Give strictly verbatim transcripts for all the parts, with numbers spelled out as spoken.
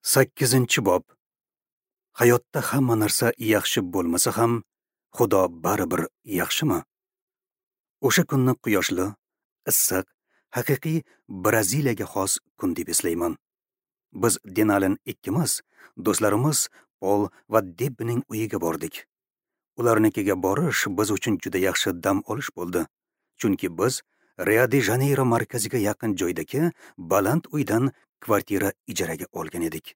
Sakkizinchi bob. Hayotda hamma narsa yaxshi bo'lmasa ham, Xudo baribir yaxshimi? O'sha kunni quyoshli, issiq, haqiqiy Braziliyaga xos kun deb eslayman. Biz Denalin ikkimiz, do'stlarimiz Pol va Debbining uyiga bordik. Ularnikiga borish biz uchun juda yaxshi dam olish bo'ldi. Chunki biz Rio-de-Janeyro markaziga yaqin joydagi baland uydan kvartira ijaraga olgan edik.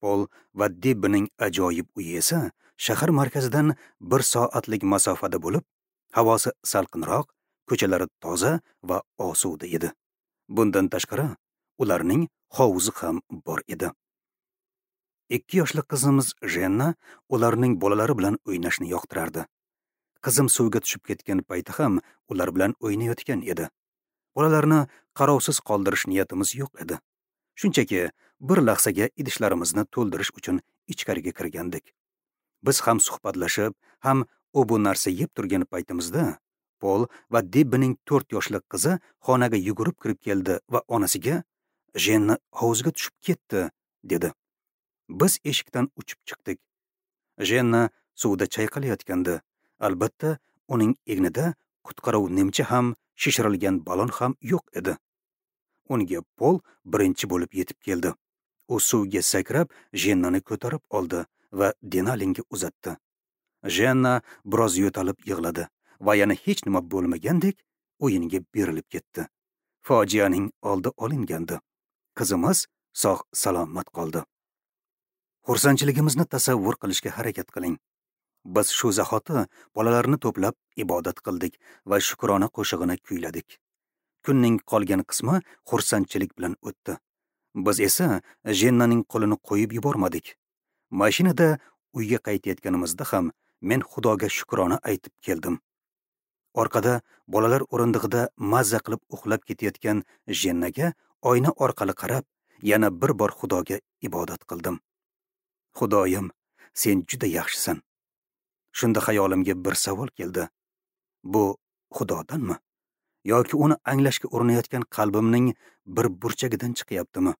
Pol va Debbining ajoyib uyi esa shahar markazidan bir soatlik masofada bo'lib, havosi salqinroq, ko'chalari toza va osuda edi. Bundan tashqari, ularning hovuzi ham bor edi. Ikki yoshli qizimiz Jenna ularning bolalari bilan o'ynashni yoqtirardi. Qizim suvga tushib ketgan payti ham ular bilan o'ynayotgan edi. Bolalarni qarovsiz qoldirish niyatimiz yo'q edi. Shunchaki bir lahzaga idishlarimizni to'ldirish uchun ichkariga kirgandik. Biz ham suhbatlashib, ham u bu narsa yeb turgan paytimizda Pol va Debbining to'rt yoshli qizi xonaga yugurib kirib keldi va onasiga "Jenna hovuzga tushib ketdi" dedi. Biz eshikdan uchib chiqdik. Jenna suvda chayqalayotgandi. Albatta, uning egnida qutqaruv nimcha ham, shishirilgan balon ham yo'q edi. Unga Pol birinchi bo'lib yetib keldi. U suvga sakrab, Jennani ko'tarib oldi va Denalinga uzatdi. Jenna biroz yo'talib yig'ladi va yana hech nima bo'lmagandek o'yinga berilib ketdi. Fojianing oldi olingandi. Qizimiz sog' salomat qoldi. Xursandchiligimizni tasavvur qilishga harakat qiling. Biz shu zahoti bolalarni to'plab ibodat qildik va shukrona qo'shig'ini kuyladik. Kunning qolgan qismi xursandchilik bilan o'tdi. Biz esa Jennaning qo'lini qo'yib yubormadik. Mashinada uyga qaytayotganimizda ham men Xudoga shukrona aytib keldim. Orqada bolalar o'rindig'ida mazza qilib uxlab ketayotgan Jennaga oyna orqali qarab, yana bir bor Xudoga ibodat qildim. Xudoyim, sen juda yaxshisan. Shunda xayolimga bir savol keldi. Bu Xudodanmi? Yoki uni anglashga urinayotgan qalbimning bir burchagidan chiqyaptimi?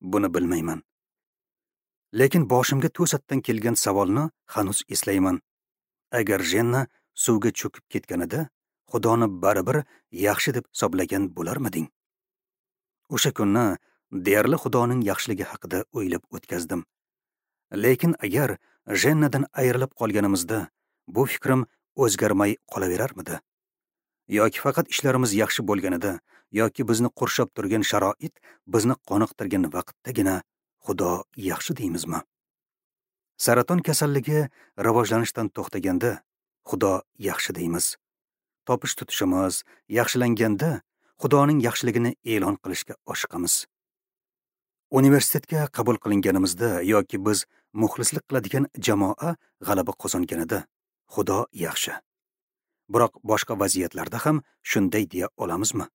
Buni bilmayman. Lekin boshimga to'satdan kelgan savolni hanuz eslayman. Agar Jenna suvga cho'kib ketganida, Xudoni baribir yaxshi deb hisoblagan bo'larmiding? O'sha kunni deyarli Xudoning yaxshiligi haqida o'ylab o'tkazdim. Lekin agar Jennadan ayrilib qolganimizda, bu fikrim o'zgarmay qolaverarmidi? Yoki faqat ishlarimiz yaxshi bo'lganida, yoki bizni qurshab turgan sharoit bizni qoniqtirgan vaqtdagina Xudo yaxshi deymizmi? Saraton kasalligi rivojlanishdan to'xtaganda Xudo yaxshi deymiz. Topish tutishimiz yaxshilanganda Xudoning yaxshiligini e'lon qilishga oshiqamiz. Universitetga qabul qilinganimizda yoki biz muxlislik qiladigan jamoa g'alaba qozonganida Xudo yaxshi. Biroq boshqa vaziyatlarda ham shunday deya olamizmi?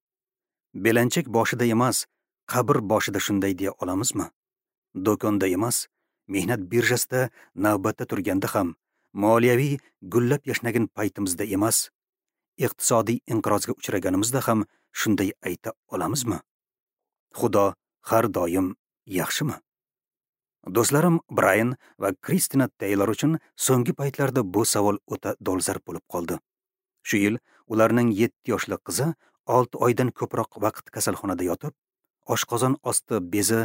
Belanchak boshida emas, qabr boshida shunday deya olamizmi? Do'konda emas, mehnat birjasida navbatda turganda ham, moliyaviy gullab yashnagan paytimizda emas, iqtisodiy inqirozga uchraganimizda ham shunday ayta olamizmi? Xudo har doim yaxshimi? Do'stlarim Brayan va Kristina Taylor uchun so'nggi paytlarda bu savol o'ta dolzarb bo'lib qoldi. Shu yil ularning yetti yoshli qizi olti oydan ko'proq vaqt kasalxonada yotib, oshqozon osti bezi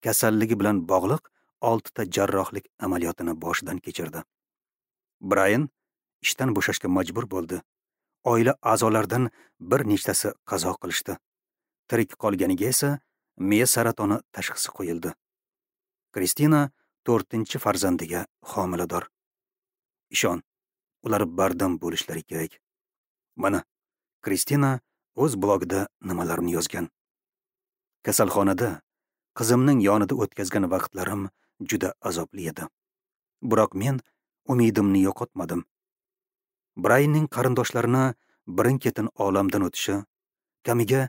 kasalligi bilan bog'liq oltita jarrohlik amaliyotini boshidan kechirdi. Brayan ishdan bo'shashga majbur bo'ldi. Oila a'zolaridan bir nechtasi qazo qilishdi. Tirik qolganiga esa miya saratoni tashxisi qo'yildi. Kristina to'rtinchi farzandiga homilador. Ishon, ular bardam bo'lishlari kerak. Mana Kristina o'z blogida nimalarni yozgan. Kasalxonada qizimning yonida o'tkazgan vaqtlarim juda azobli edi. Biroq men umidimni yo'qotmadim. Brayanning qarindoshlarini birin-ketin olamdan o'tishi, kamiga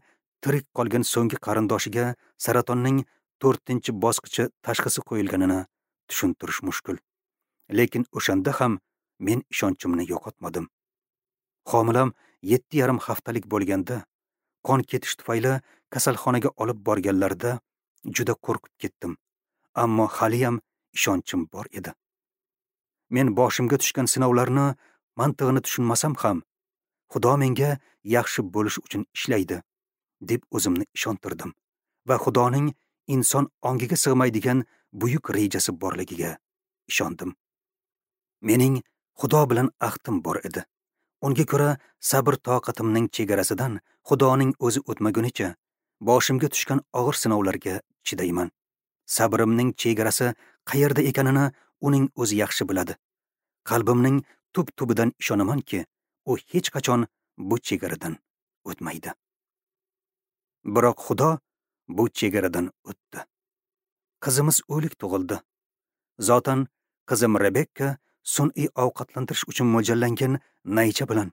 tirik qolgan so'nggi qarindoshiga saratonning to'rtinchi bosqichi tashxisi qo'yilganini tushuntirish mushkul. Lekin o'shanda ham men ishonchimni yo'qotmadim. Homilam yetti yarim haftalik bo'lganda, qon ketish tufayli kasalxonaga olib borganlarida juda qo'rqib ketdim. Ammo haliyam ishonchim bor edi. Men boshimga tushgan sinovlarni mantig'ini tushunmasam ham, Xudo menga yaxshi bo'lish uchun ishlaydi, deb o'zimni ishontirdim va Xudoning inson ongiga sig'maydigan buyuk rejasi borligiga ishondim. Mening Xudo bilan ahdim bor edi. Unga ko'ra sabr toqatimning chegarasidan Xudoning o'zi o'tmagunicha boshimga tushgan og'ir sinovlarga chidayman. Sabrimning chegarasi qayerda ekanini uning o'zi yaxshi biladi. Qalbimning tub-tubidan ishonamanki, u hech qachon bu chegaradan o'tmaydi. Biroq Xudo bu chegaradan o'tdi. Qizimiz o'lik tug'ildi. Zotan qizim Rebekka sun'iy ovqatlantirish uchun mo'ljallangan naycha bilan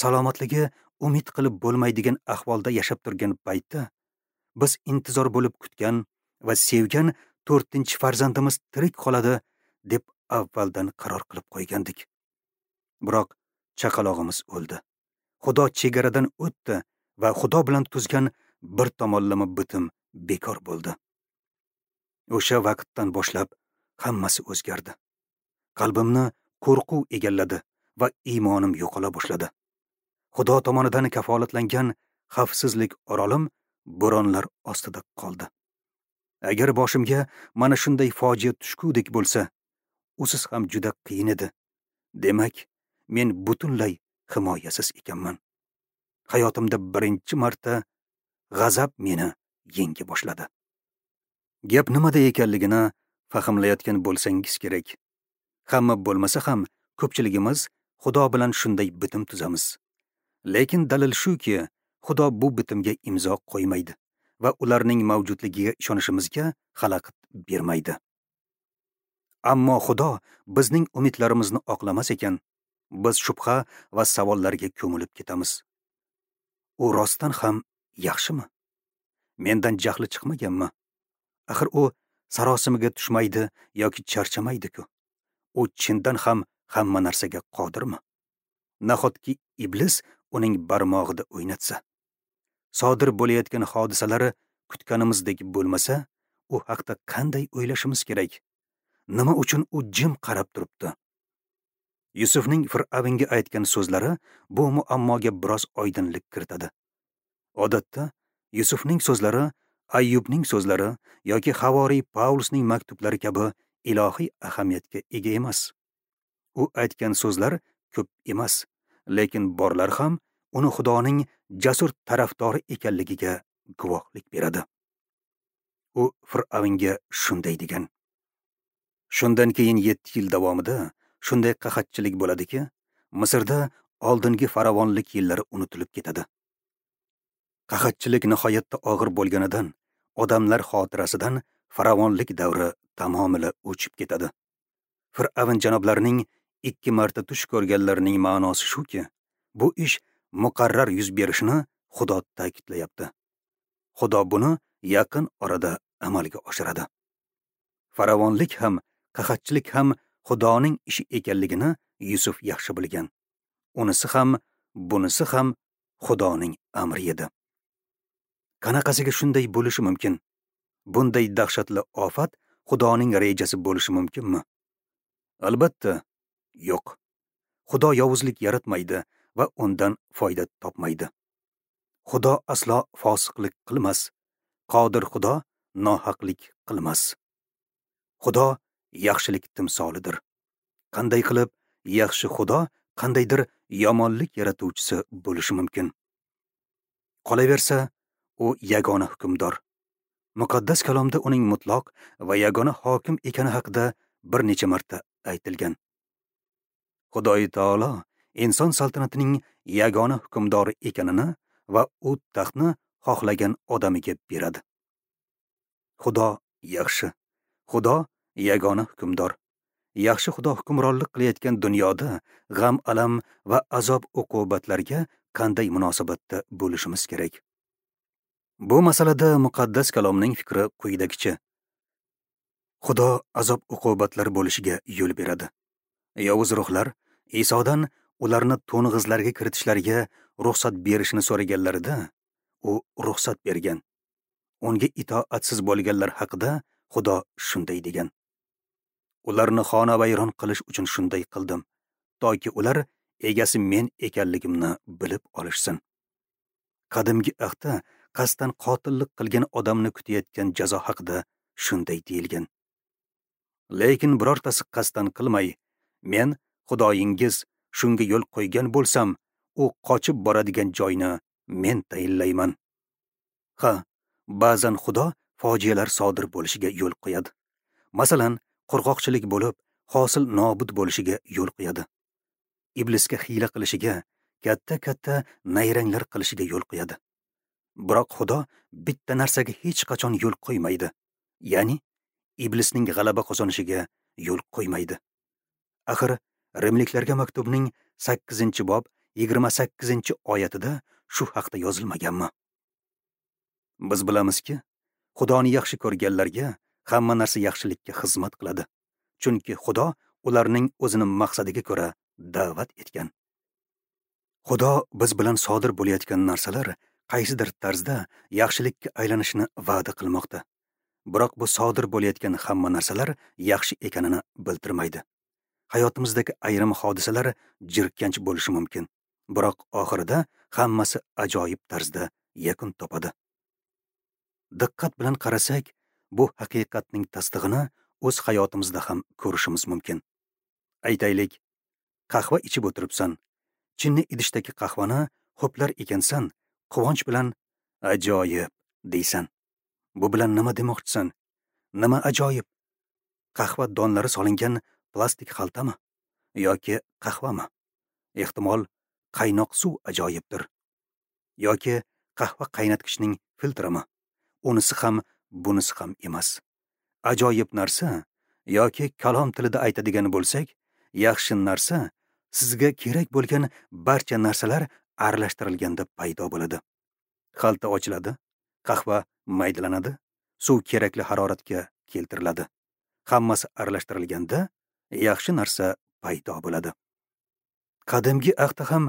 salomatligi umid qilib bo'lmaydigan ahvolda yashab turgan paytda biz intizor bo'lib kutgan va sevgan to'rtinchi farzandimiz tirik qoladi deb avvaldan qaror qilib qo'ygandik. Biroq chaqalog'imiz o'ldi. Xudo chegaradan o'tdi va Xudo bilan tuzgan bir tomonlama bitim bekor bo'ldi. O'sha vaqtdan boshlab hammasi o'zgardi. Qalbimni qo'rquv egalladi va iymonim yo'qola boshladi. Xudo tomonidan kafolatlangan xavfsizlik orolim bo'ronlar ostida qoldi. Agar boshimga mana shunday fojia tushgudek bo'lsa, usiz ham juda qiyin edi. Demak, men butunlay himoyasiz ekanman. Hayotimda birinchi marta g'azab meni yenga boshladi. Gap nimada ekanligini fahmlayotgan bo'lsangiz kerak. Hamma bo'lmasa ham ko'pchiligimiz Xudo bilan shunday bitim tuzamiz. Lekin dalil shuki, Xudo bu bitimga imzo qo'ymaydi va ularning mavjudligiga ishonishimizga xalaqit bermaydi. Ammo Xudo bizning umidlarimizni oqlamas ekan, biz shubha va savollarga ko'milib ketamiz. U rostdan ham yaxshimi? Mendan jahli chiqmaganmi? Axir u sarosimiga tushmaydi yoki charchamaydi-ku. U chindan ham hamma narsaga qodirmi? Nahotki iblis uning barmog'ida o'ynatsa? Sodir bo'layotgan hodisalari kutganimizdek bo'lmasa, u haqda qanday o'ylashimiz kerak? Nima uchun u jim qarab turibdi? Yusufning Fir'avnga aytgan so'zlari bu muammoga biroz oydinlik kiritadi. Odatda Yusufning so'zlari Ayyubning so'zlari yoki Havoriy Pavlusning maktublari kabi ilohiy ahamiyatga ega emas. U aytgan so'zlar ko'p emas, lekin borlar ham uni Xudoning jasur tarafdori ekanligiga guvohlik beradi. U Fir'avnga shunday degan: Shundan keyin yetti yil davomida shunday qahatchilik bo'ladiki, Misrda oldingi farovonlik yillari unutilib ketadi. Qahatchilik nihoyatda og'ir bo'lganidan odamlar xotirasidan farovonlik davri tamomila o'chib ketadi. Fir'avn janoblarining ikki marta tush ko'rganlarining ma'nosi shuki, bu ish muqarrar yuz berishini Xudo ta'kidlayapti. Xudo buni yaqin orada amalga oshiradi. Farovonlik ham, qahatchilik ham Xudoning ishi ekanligini Yusuf yaxshi bilgan. Unisi ham, bunisi ham Xudoning amri edi. Qanaqasiga shunday bo'lishi mumkin? Bunday dahshatli ofat Xudoning rejasi bo'lishi mumkinmi? Albatta, yo'q. Xudo yovuzlik yaratmaydi va undan foyda topmaydi. Xudo aslo fosiqlik qilmas. Qodir Xudo nohaqlik qilmas. Xudo yaxshilik timsolidir. Qanday qilib yaxshi Xudo qandaydir yomonlik yaratuvchisi bo'lishi mumkin? Qolaversa, u yagona hukmdor. Muqaddas kalomda uning mutlaq va yagona hokim ekani haqida bir necha marta aytilgan. Xudoy taolo inson saltanatining yagona hukmdori ekanini va u taxtni xohlagan odamiga beradi. Xudo yaxshi. Xudo yagona hukmdor. Yaxshi Xudo hukmronlik qilayotgan dunyoda g'am-alam va azob-uqubatlarga qanday munosabatda bo'lishimiz kerak? Bu masalada muqaddas kalomning fikri quyidagicha. Xudo azob-uqubatlar bo'lishiga yo'l beradi. Yovuz ruhlar Isodan ularni to'ng'izlarga kiritishlariga ruxsat berishini so'raganlarida, u ruxsat bergan. Unga itoatsiz bo'lganlar haqida Xudo shunday degan: Ularni xonavayron qilish uchun shunday qildim, toki ular egasi men ekanligimni bilib olishsin. Qadimgi ahdda qasddan qotillik qilgan odamni kutayotgan jazo haqida shunday deyilgan: Lekin birortasi qasddan qilmay, men Xudoyingiz shunga yo'l qo'ygan bo'lsam, u qochib boradigan joyni men tayinlayman. Ha, ba'zan Xudo fojialar sodir bo'lishiga yo'l qo'yadi. Masalan, qurg'oqchilik bo'lib, hosil nobud bo'lishiga yo'l qo'yadi. Iblisga hiyla qilishiga, katta-katta nayranglar qilishiga yo'l qo'yadi. Biroq Xudo bitta narsaga hech qachon yo'l qo'ymaydi. Ya'ni iblisning g'alaba qozonishiga yo'l qo'ymaydi. Axir Rimliklarga maktubning sakkizinchi bob yigirma sakkizinchi oyatida shu haqda yozilmaganmi? Biz bilamizki, Xudoni yaxshi ko'rganlarga hamma narsa yaxshilikka xizmat qiladi. Chunki Xudo ularning o'zini maqsadiga ko'ra da'vat etgan. Xudo biz bilan sodir bo'layotgan narsalar qaysidir tarzda yaxshilikka aylanishini va'da qilmoqda. Biroq bu sodir bo'layotgan hamma narsalar yaxshi ekanini bildirmaydi. Hayotimizdagi ayrim hodisalar jirkanch bo'lishi mumkin, biroq oxirida hammasi ajoyib tarzda yakun topadi. Diqqat bilan qarasak, bu haqiqatning tasdig'ini o'z hayotimizda ham ko'rishimiz mumkin. Aytaylik, qahva ichib o'tiribsan. Chinni idishdagi qahvani ho'plar ekansan, quvonch bilan ajoyib deysan. Bu bilan nima demoqchisan? Nima ajoyib? Qahva donlari solingan plastik xaltami yoki qahvami? Ehtimol, qaynoq suv ajoyibdir. Yoki qahva qaynatgichning filtrimi? Unisi ham, bunisi ham emas. Ajoyib narsa yoki kalom tilida aytadigan bo'lsak, yaxshi narsa sizga kerak bo'lgan barcha narsalar aralashtirilganda paydo bo'ladi. Xalta ochiladi, qahva maydalanadi, suv kerakli haroratga keltiriladi. Hammasi aralashtirilganda yaxshi narsa paydo bo'ladi. Qadimgi ahdda ham,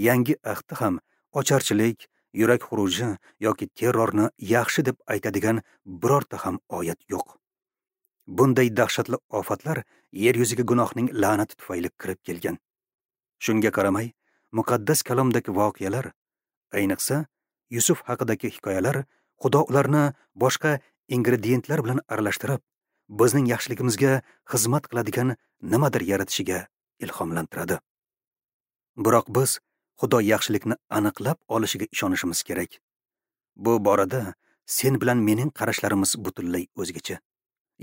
yangi ahdda ham ocharchilik, yurak xuruji yoki terrorni yaxshi deb aytadigan birorta ham oyat yo'q. Bunday dahshatli ofatlar yer yuziga gunohning la'nati tufayli kirib kelgan. Shunga qaramay, muqaddas kalomdagi voqealar, ayniqsa Yusuf haqidagi hikoyalar, Xudo ularni boshqa ingrediyentlar bilan aralashtirib, bizning yaxshiligimizga xizmat qiladigan nimadir yaratishiga ilhomlantiradi. Biroq biz Xudo yaxshilikni aniqlab olishiga ishonishimiz kerak. Bu borada sen bilan mening qarashlarimiz butunlay o'zgacha.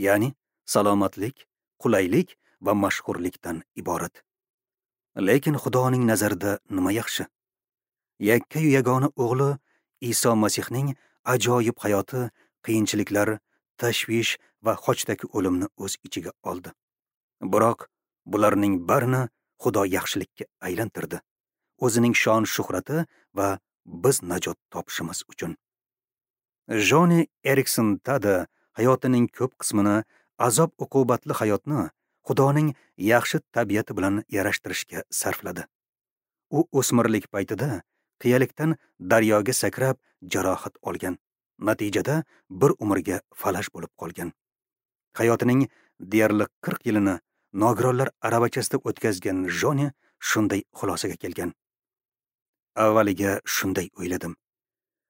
Ya'ni salomatlik, qulaylik va mashhurlikdan iborat. Lekin Xudoning nazarida nima yaxshi? Yakkayu yagona o'g'li Iso Masihning ajoyib hayoti qiyinchiliklar, tashvish va xochdagi o'limni o'z ichiga oldi. Biroq bularning barini Xudo yaxshilikka aylantirdi. O'zining shon shuhrati va biz najot topishimiz uchun. Joni Erikson Tada hayotining ko'p qismini azob uqubatli hayotni Xudoning yaxshi tabiati bilan yarashtirishga sarfladi. U o'smirlik paytida qiyalikdan daryoga sakrab jarohat olgan. Natijada bir umrga falaj bo'lib qolgan. Hayotining deyarli qirq yilini nogironlar aravachasida o'tkazgan Joni shunday xulosaga kelgan. Avvaliga shunday o'yladim.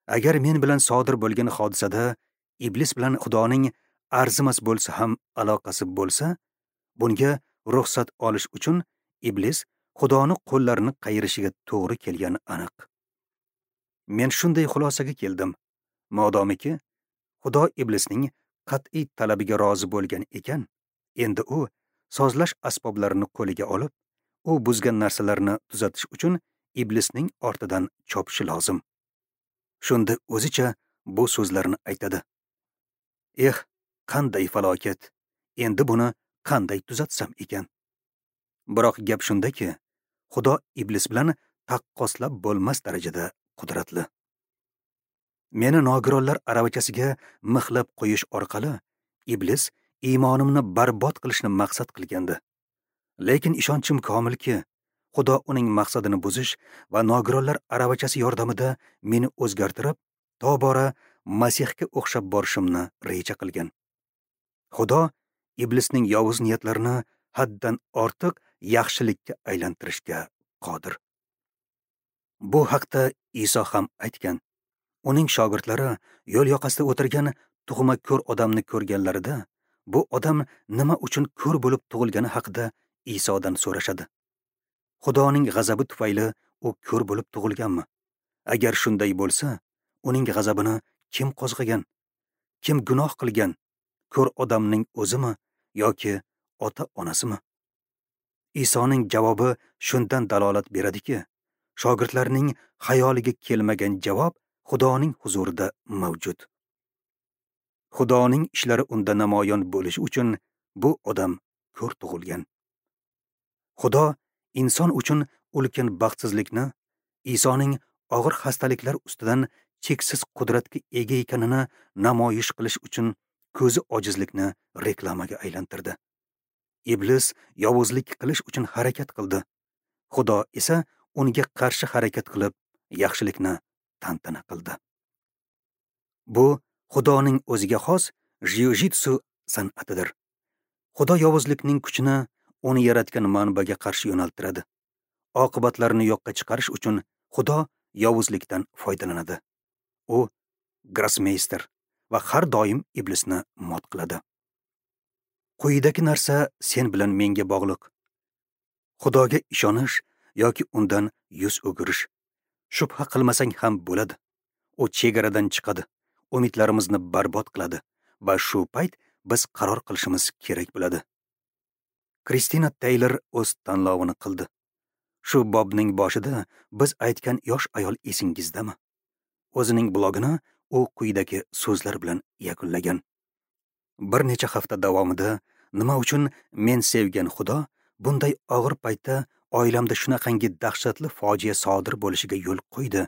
Agar men bilan sodir bo'lgan hodisada iblis bilan Xudoning arzimas bo'lsa ham aloqasi bo'lsa, bunga ruxsat olish uchun iblis Xudoni qo'llarini qayirishiga to'g'ri kelgani aniq. Men shunday xulosaga keldim. Modomiki Xudo iblisning qat'iy talabiga rozi bo'lgan ekan, endi u sozlash asboblarini qo'liga olib, u buzgan narsalarni tuzatish uchun iblisning ortidan chopishi lozim. Shunda o'zicha bu so'zlarni aytadi. Eh, qanday falokat! Endi buni qanday tuzatsam ekan? Biroq gap shundaki, Xudo iblis bilan taqqoslab bo'lmas darajada qudratli. Meni nogironlar aravachasiga mixlab qo'yish orqali iblis iymonimni barbod qilishni maqsad qilgandi. Lekin ishonchim komilki, Xudo uning maqsadini buzish va nogironlar aravachasi yordamida meni o'zgartirib, tobora Masihga o'xshab borishimni reja qilgan. Xudo iblisning yovuz niyatlarini haddan ortiq yaxshilikka aylantirishga qodir. Bu haqda Iso ham aytgan. Uning shogirdlari yo'l yoqasida o'tirgan tug'ma ko'r odamni ko'rganlarida, bu odam nima uchun ko'r bo'lib tug'ilgani haqida Isodan so'rashadi. Xudoning g'azabi tufayli u ko'r bo'lib tug'ilganmi? Agar shunday bo'lsa, uning g'azabini kim qo'zg'agan? Kim gunoh qilgan? Ko'r odamning o'zimi yoki ota-onasimi? Isoning javobi shundan dalolat beradiki, shogirdlarning xayoliga kelmagan javob Xudoning huzurida mavjud. Xudoning ishlari unda namoyon bo'lishi uchun bu odam ko'r tug'ilgan. Xudo inson uchun ulkan baxtsizlikni, Isoning og'ir xastaliklar ustidan cheksiz qudratga ega ekanini namoyish qilish uchun ko'zi ojizlikni reklamaga aylantirdi. Iblis yovuzlik qilish uchun harakat qildi. Xudo esa unga qarshi harakat qilib, yaxshilikni tantana qildi. Bu Xudoning o'ziga xos jiu-jitsu san'atidir. Xudo yovuzlikning kuchini uni yaratgan manbaga qarshi yo'naltiradi. Oqibatlarni yo'qqa chiqarish uchun Xudo yovuzlikdan foydalanadi. U grossmeyster va har doim iblisni mot qiladi. Quyidagi narsa sen bilan menga bog'liq. Xudoga ishonish yoki undan yuz o'girish. Shubha qilmasang ham bo'ladi. U chegaradan chiqadi, umidlarimizni barbod qiladi va shu payt biz qaror qilishimiz kerak bo'ladi. Kristina Taylor o'z tanlovini qildi. Shu bobning boshida biz aytgan yosh ayol esingizdami? O'zining blogini u quyidagi so'zlar bilan yakunlagan. Bir necha hafta davomida nima uchun men sevgan Xudo bunday og'ir paytda oilamda shunaqangi dahshatli fojia sodir bo'lishiga yo'l qo'ydi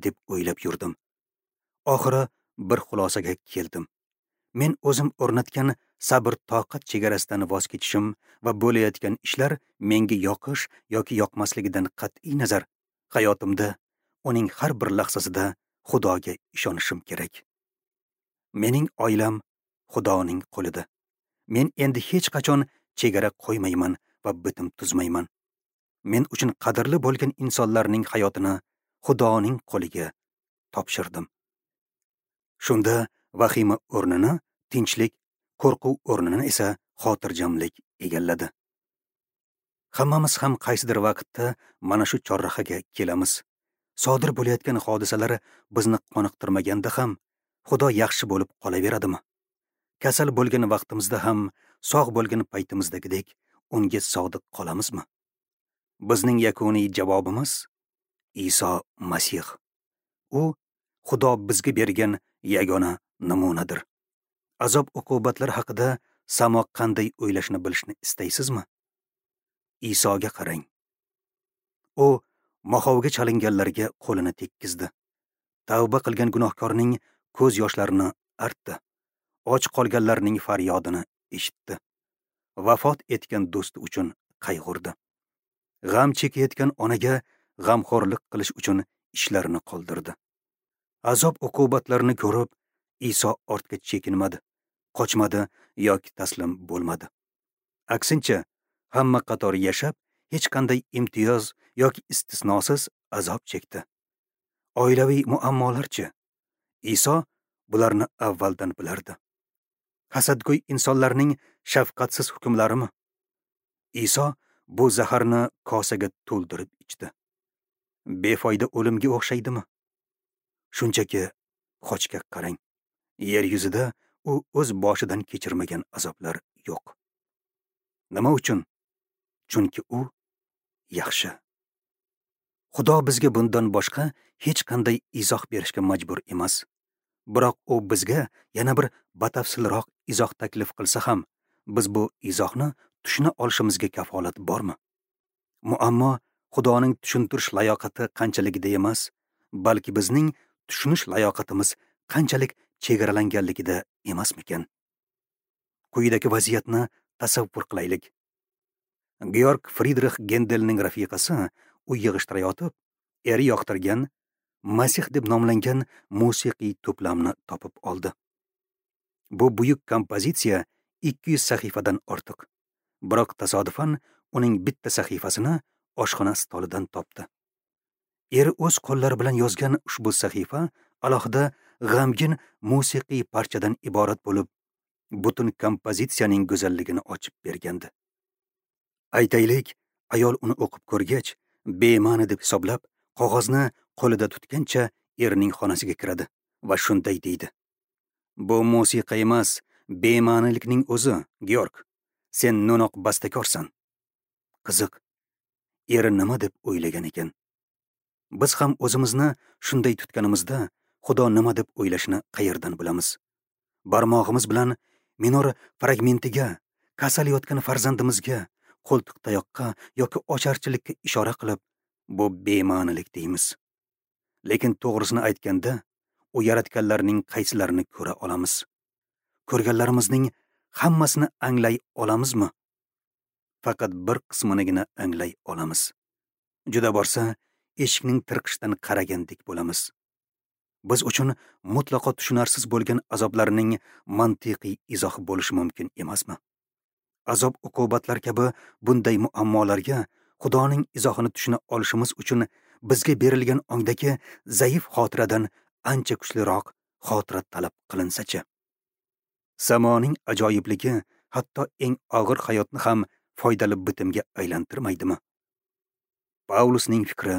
deb o'ylab yurdim. Oxiri bir xulosaga keldim. Men o'zim o'rnatgan sabr-toqat chegarasidan voz kechishim va bo'layotgan ishlar menga yoqish yoki yoqmasligidan qat'iy nazar hayotimda uning har bir lahzasida Xudoga ishonishim kerak. Mening oilam Xudoning qo'lida. Men endi hech qachon chegara qo'ymayman va bitim tuzmayman. Men uchun qadrli bo'lgan insonlarning hayotini Xudoning qo'liga topshirdim. Shunda vahima o'rnini tinchlik, qo'rquv o'rnini esa xotirjamlik egalladi. Hammamiz ham qaysidir vaqtda mana shu chorrahaga kelamiz. Sodir bo'layotgan hodisalar bizni qoniqtirmaganda ham Xudo yaxshi bo'lib qolaveradimi? Kasal bo'lgan vaqtimizda ham sog' bo'lgan paytimizdagidek unga sodiq qolamizmi? Bizning yakuniy javobimiz Iso Masih. U Xudo bizga bergan yagona namunadir. Azob uqubatlar haqida samo qanday o'ylashni bilishni istaysizmi? Isoga qarang. U mohovga chalinganlarga qo'lini tekkizdi. Tavba qilgan gunohkorning ko'z yoshlarini artdi. Och qolganlarning faryodini eshitdi. Vafot etgan do'sti uchun qayg'urdi. G'am chekayotgan onaga g'amxo'rlik qilish uchun ishlarini qoldirdi. Azob uqubatlarni ko'rib, Iso ortga chekinmadi, qochmadi yoki taslim bo'lmadi. Aksincha, hamma qatori yashab, hech qanday imtiyoz yoki istisnosiz azob chekdi. Oilaviy muammolarchi? Iso bularni avvaldan bilardi. Hasadgo'y insonlarning shafqatsiz hukmlarimi? Iso bu zaharni kosaga to'ldirib ichdi. Befoyda o'limga o'xshaydimi? Shunchaki xochga qarang. Yer yuzida u o'z boshidan kechirmagan azoblar yo'q. Nima uchun? Chunki u yaxshi. Xudo bizga bundan boshqa hech qanday izoh berishga majbur emas. Biroq u bizga yana bir batafsilroq izoh taklif qilsa ham, biz bu izohni tushuna olishimizga kafolat bormi? Muammo Xudoning tushuntirish layoqati qanchaligida emas, balki bizning tushunish layoqatimiz qanchalik chegaralanganligida emasmikan? Quyidagi vaziyatni tasavvur qilaylik. Georg Fridrix Gendelning rafiqasi uy yig'ishtirayotib, eri yoqtirgan Masih deb nomlangan musiqiy to'plamni topib oldi. Bu buyuk kompozitsiya ikki yuz sahifadan ortiq. Biroq tasodifan uning bitta sahifasini oshxona stolidan topdi. Eri o'z qo'llari bilan yozgan ushbu sahifa alohida g'amgin musiqiy parchadan iborat bo'lib, butun kompozitsiyaning go'zalligini ochib bergandi. Aytaylik, ayol uni o'qib ko'rgach, bema'ni deb hisoblab, qog'ozni qo'lida tutgancha erining xonasiga kiradi va shunday deydi: "Bu musiqa emas, bema'nilikning o'zi, Georg. Sen no'noq bastakorsan." Qiziq, eri nima deb o'ylagan ekan? Biz ham o'zimizni shunday tutganimizda Xudo nima deb o'ylashini qayerdan bilamiz? Barmog'imiz bilan minor fragmentiga, kasal yotgan farzandimizga, qo'ltiqtayoqqa yoki ocharchilikka ishora qilib, bu bema'nilik deymiz. Lekin to'g'risini aytganda, u yaratganlarning qaysilarini ko'ra olamiz? Ko'rganlarimizning hammasini anglay olamizmi? Faqat bir qisminigina anglay olamiz. Juda borsa, eshikning tirqishidan qaragandek bo'lamiz. Biz uchun mutlaqo tushunarsiz bo'lgan azoblarning mantiqiy izohi bo'lishi mumkin emasmi? Azob uqubatlar kabi bunday muammolarga Xudoning izohini tushuna olishimiz uchun bizga berilgan ongdagi zaif xotiradan ancha kuchliroq xotira talab qilinsa-chi? Samoning ajoyibligi hatto eng og'ir hayotni ham foydali bitimga aylantirmaydimi? Paulusning fikri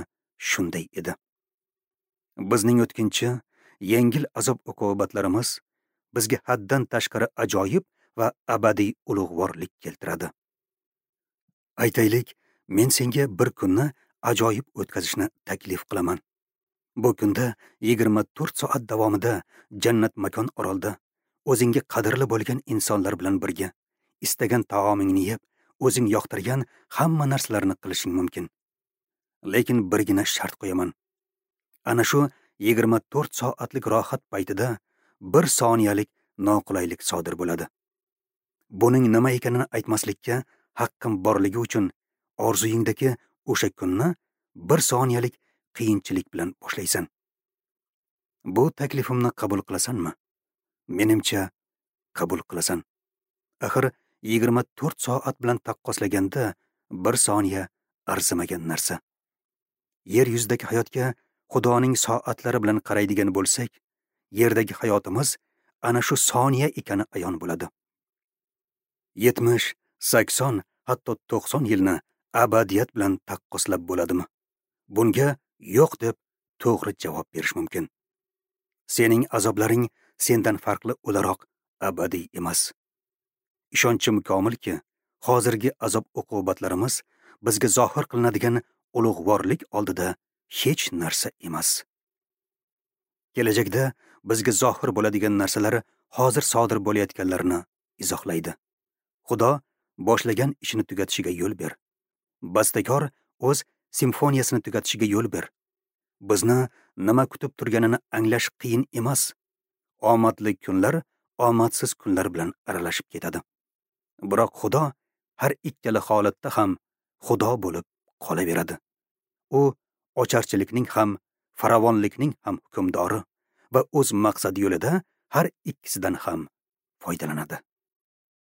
shunday edi. Bizning o'tkinchi, yengil azob uqubatlarimiz bizga haddan tashqari ajoyib va abadiy ulug'vorlik keltiradi. Aytaylik, men senga bir kunni ajoyib o'tkazishni taklif qilaman. Bu kunda yigirma to'rt soat davomida jannat makon orolda o'zingga qadrli bo'lgan insonlar bilan birga istagan taomingni yeb, o'zing yoqtirgan hamma narsalarni qilishing mumkin. Lekin birgina shart qo'yaman. Ana shu yigirma to'rt soatlik rohat paytida bir soniyalik noqulaylik sodir bo'ladi. Buning nima ekanini aytmaslikka haqqim borligi uchun orzuyingdagi o'sha kunni bir soniyalik qiyinchilik bilan boshlaysan. Bu taklifimni qabul qilasanmi? Menimcha, qabul qilasan. Axir yigirma to'rt soat bilan taqqoslaganda bir soniya arzimagan narsa. Yer yuzidagi hayotga Xudoning soatlari bilan qaraydigan bo'lsak, yerdagi hayotimiz ana shu soniya ekani ayon bo'ladi. yetmish, sakson, hatto to'qson yilni abadiyat bilan taqqoslab bo'ladimi? Bunga yo'q deb to'g'ri javob berish mumkin. Sening azoblaring sendan farqli o'laroq abadiy emas. Ishonchim komilki, hozirgi azob uqubatlarimiz bizga zohir qilinadigan ulug'vorlik oldida hech narsa emas. Kelajakda bizga zohir bo'ladigan narsalar hozir sodir bo'layotganlarini izohlaydi. Xudo boshlagan ishini tugatishiga yo'l ber. Bastakor o'z simfoniyasini tugatishiga yo'l ber. Bizni nima kutib turganini anglash qiyin emas. Omadli kunlar omadsiz kunlar bilan aralashib ketadi. Biroq Xudo har ikkala holatda ham Xudo bo'lib qolaveradi. U ocharchilikning ham, farovonlikning ham hukmdori va o'z maqsadi yo'lida har ikkisidan ham foydalanadi.